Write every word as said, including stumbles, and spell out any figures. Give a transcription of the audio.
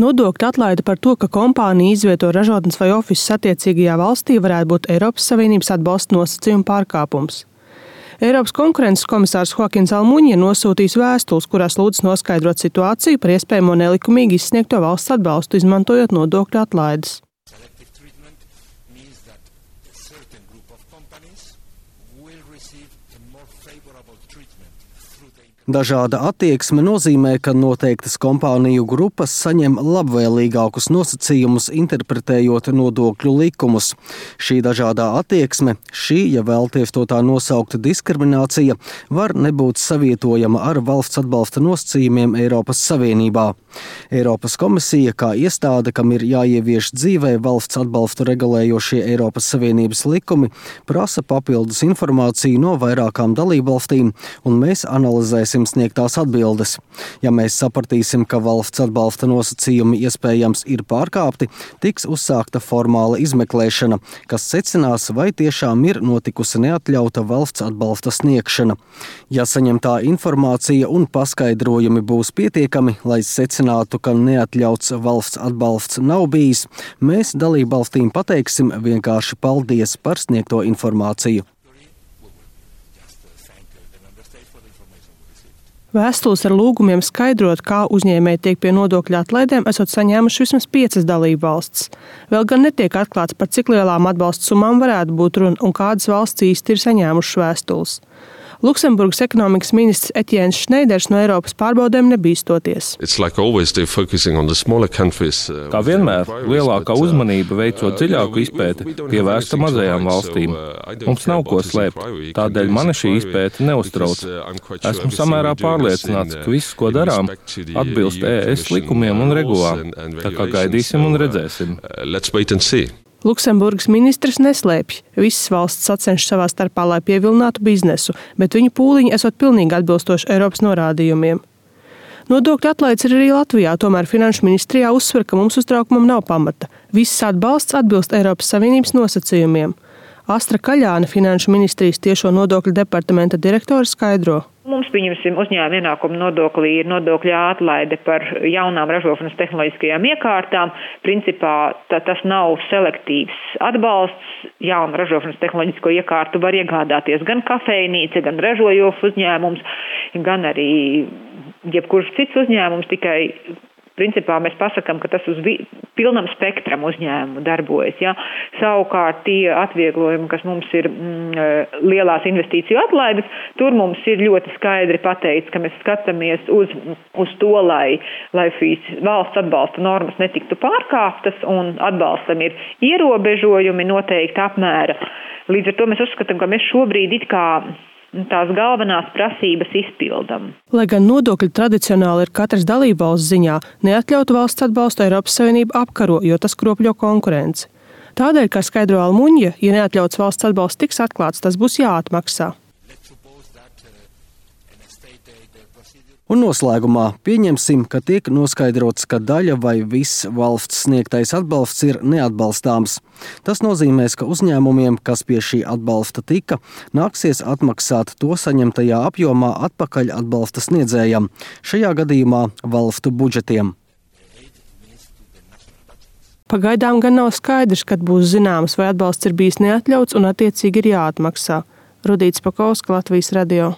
Nodokļu atlaide par to, ka kompānija izvieto ražotnes vai ofisus attiecīgajā valstī, varētu būt Eiropas Savienības atbalsta nosacījuma pārkāpums. Eiropas konkurences komisārs Joakins Almuņa nosūtījis vēstules, kurās lūdz noskaidrot situāciju par iespējamo nelikumīgi izsniegto valsts atbalstu, izmantojot nodokļu atlaides. Dažāda attieksme nozīmē, ka noteiktas kompāniju grupas saņem labvēlīgākus nosacījumus, interpretējot nodokļu likumus. Šī dažādā attieksme, šī, ja vēlties to tā nosaukt, diskriminācija, var nebūt savietojama ar valsts atbalsta nosacījumiem Eiropas Savienībā. Eiropas komisija, kā iestāde, kam ir jāievieš dzīvē valsts atbalstu regulējošie Eiropas Savienības likumi, prasa papildus informāciju no vairākām dalībvalstīm, un mēs analizēsim sniegtās atbildes. Ja mēs sapratīsim, ka valsts atbalsta nosacījumi iespējams ir pārkāpti, tiks uzsākta formāla izmeklēšana, kas secinās, vai tiešām ir notikusi neatļauta valsts atbalsta sniegšana. Ja saņemtā informācija un paskaidrojumi būs pietiekami, lai secinātu, ka neatļauts valsts atbalsts nav bijis, mēs dalībvalstīm pateiksim vienkārši paldies par sniegto informāciju. Vēstules ar lūgumiem skaidrot, kā uzņēmēji tiek pie nodokļu atlaidēm, esot saņēmuši vismaz piecas dalību valstis. Vēl gan netiek atklāts, par cik lielām atbalsta summām varētu būt runa un kādas valsts īsti ir saņēmušas vēstules. Luksemburgas ekonomikas ministrs Etiens Šneiders no Eiropas pārbaudēm nebīstoties. Like countries, uh, Kā vienmēr, lielākā uzmanība veicot dziļāku izpēti pievērsta mazajām valstīm. Mums nav ko slēpt, tādēļ mani šī izpēte neuztrauc. Esmu samērā pārliecināts, ka viss, ko darām, atbilst E S likumiem un regulām. Tā kā gaidīsim un redzēsim. Luksemburgas ministrs neslēpj. Visas valsts sacenšas savā starpā, lai pievilinātu biznesu, bet viņu pūliņi esot pilnīgi atbilstoši Eiropas norādījumiem. Nodokļu atlaides ir arī Latvijā, tomēr Finanšu ministrijā uzsver, ka mums uztraukumam nav pamata. Viss atbalsts atbilst Eiropas Savienības nosacījumiem. Astra Kaļāne, Finanšu ministrijas tiešo nodokļu departamenta direktore, skaidro. Mums, pieņemsim, uzņēmuma ienākuma nodoklī ir nodokļa atlaide par jaunām ražošanas tehnoloģiskajām iekārtām. Principā tā, tas nav selektīvs atbalsts. Jaunu ražošanas tehnoloģisko iekārtu var iegādāties gan kafejnīca, gan ražojošs uzņēmums, gan arī jebkurš cits uzņēmums, tikai principā mēs pasakām, ka tas uz vi- pilnam spektram uzņēmumu darbojas. Ja? Savukārt tie atvieglojumi, kas mums ir mm, lielās investīciju atlaides, tur mums ir ļoti skaidri pateikts, ka mēs skatāmies uz, uz to, lai, lai šīs valsts atbalsta normas netiktu pārkāptas un atbalstam ir ierobežojumi noteikti apmēra. Līdz ar to mēs uzskatām, ka mēs šobrīd it kā tās galvenās prasības izpildam. Lai gan nodokļi tradicionāli ir katras dalībvalsts ziņā, neatļautu valsts atbalstu Eiropas Savienība apkaro, jo tas kropļo konkurenci. Tādēļ, kā skaidro Almuņa, ja neatļauts valsts atbalsts tiks atklāts, tas būs jāatmaksā. Un noslēgumā pieņemsim, ka tiek noskaidrots, ka daļa vai viss valsts sniegtais atbalsts ir neatbalstāms. Tas nozīmēs, ka uzņēmumiem, kas pie šī atbalsta tika, nāksies atmaksāt to saņemtajā apjomā atpakaļ atbalsta sniedzējam, šajā gadījumā valstu budžetiem. Pagaidām gan nav skaidrs, kad būs zināms, vai atbalsts ir bijis neatļauts un attiecīgi ir jāatmaksā. Rudīts Pakauska, Latvijas radio.